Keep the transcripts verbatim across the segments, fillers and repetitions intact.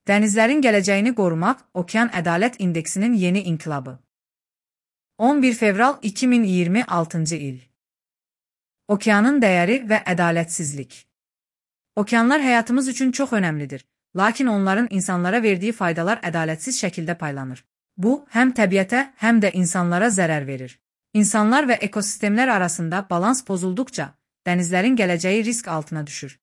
Dənizlərin gələcəyini qorumaq, Okean Ədalət İndeksinin yeni inqilabı. on bir fevral iki min iyirmi altıncı il. Okeanın dəyəri və ədalətsizlik. Okeanlar həyatımız üçün çox önəmlidir, lakin onların insanlara verdiyi faydalar ədalətsiz şəkildə paylanır. Bu, həm təbiətə, həm də insanlara zərər verir. İnsanlar və ekosistemlər arasında balans pozulduqca, dənizlərin gələcəyi risk altına düşür.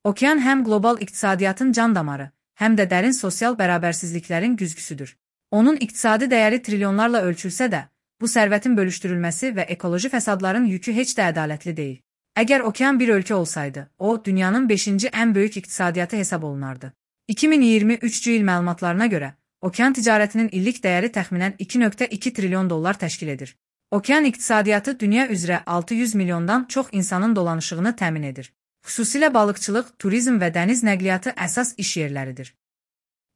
Okean həm qlobal iqtisadiyyatın can damarı, həm də dərin sosial bərabərsizliklərin güzgüsüdür. Onun iqtisadi dəyəri trilyonlarla ölçülsə də, bu sərvətin bölüşdürülməsi və ekoloji fəsadların yükü heç də ədalətli deyil. Əgər okean bir ölkə olsaydı, o, dünyanın beşinci ən böyük iqtisadiyyatı hesab olunardı. iki min iyirmi üçüncü il məlumatlarına görə, okean ticarətinin illik dəyəri təxminən iki nöqtə iki trilyon dollar təşkil edir. Okean iqtisadiyyatı dünya üzrə altı yüz milyondan çox insanın dolanışığını təmin edir. Xüsusilə balıqçılıq, turizm və dəniz nəqliyyatı əsas iş yerləridir.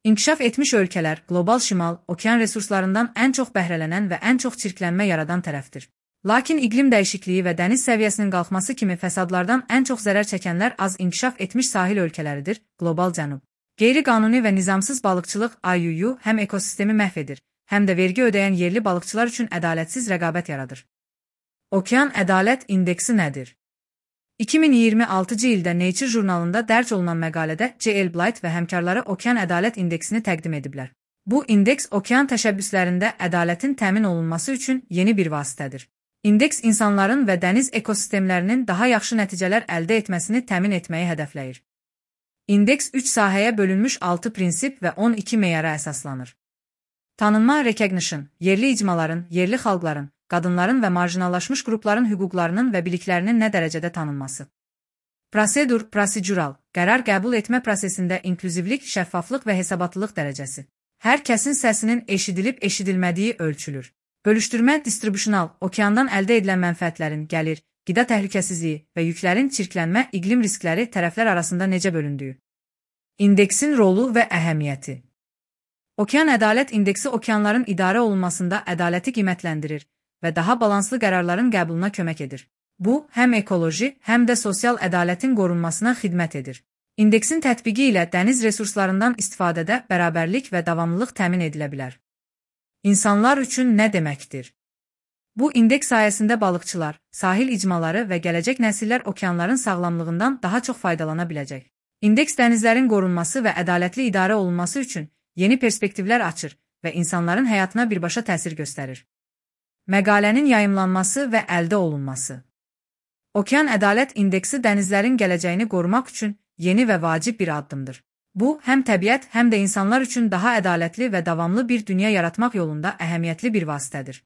İnkişaf etmiş ölkələr, qlobal şimal, okean resurslarından ən çox bəhrələnən və ən çox çirklənmə yaradan tərəfdir. Lakin iqlim dəyişikliyi və dəniz səviyyəsinin qalxması kimi fəsadlardan ən çox zərər çəkənlər az inkişaf etmiş sahil ölkələridir, qlobal cənub. Qeyri-qanuni və nizamsız balıqçılıq I U U həm ekosistemi məhv edir, həm də vergi ödəyən yerli balıqçılar üçün ədalətsiz rəqabət yaradır. Okean Ədalət İndeksi nədir? iki min iyirmi altıncı ildə Nature jurnalında dərc olunan məqalədə C L Blight və həmkarları Okean Ədalət İndeksini təqdim ediblər. Bu indeks okean təşəbbüslərində ədalətin təmin olunması üçün yeni bir vasitədir. İndeks insanların və dəniz ekosistemlərinin daha yaxşı nəticələr əldə etməsini təmin etməyi hədəfləyir. İndeks üç sahəyə bölünmüş altı prinsip və on iki meyara əsaslanır. Tanınma recognition, yerli icmaların, yerli xalqların, qadınların və marjinallaşmış qrupların hüquqlarının və biliklərinin nə dərəcədə tanınması. Prosedur, prosedural, qərar qəbul etmə prosesində inklüzivlik, şəffaflıq və hesabatlılıq dərəcəsi. Hər kəsin səsinin eşidilib-eşidilmədiyi ölçülür. Bölüşdürmə, distribusional, okeandan əldə edilən mənfəətlərin, gəlir, qida təhlükəsizliyi və yüklərin çirklənmə, iqlim riskləri tərəflər arasında necə bölündüyü. İndeksin rolu və əhəmiyyəti. Okean Ədalət İndeksi okeanların idarə olunmasında ədaləti qiymətləndirir və daha balanslı qərarların qəbuluna kömək edir. Bu, həm ekoloji, həm də sosial ədalətin qorunmasına xidmət edir. İndeksin tətbiqi ilə dəniz resurslarından istifadədə bərabərlik və davamlılıq təmin edilə bilər. İnsanlar üçün nə deməkdir? Bu indeks sayəsində balıqçılar, sahil icmaları və gələcək nəsillər okeanların sağlamlığından daha çox faydalana biləcək. İndeks dənizlərin qorunması və ədalətli idarə olunması üçün yeni perspektivlər açır və insanların həyatına birbaşa təsir göstərir. Məqalənin yayımlanması və əldə olunması. Okean Ədalət İndeksi dənizlərin gələcəyini qorumaq üçün yeni və vacib bir addımdır. Bu, həm təbiət, həm də insanlar üçün daha ədalətli və davamlı bir dünya yaratmaq yolunda əhəmiyyətli bir vasitədir.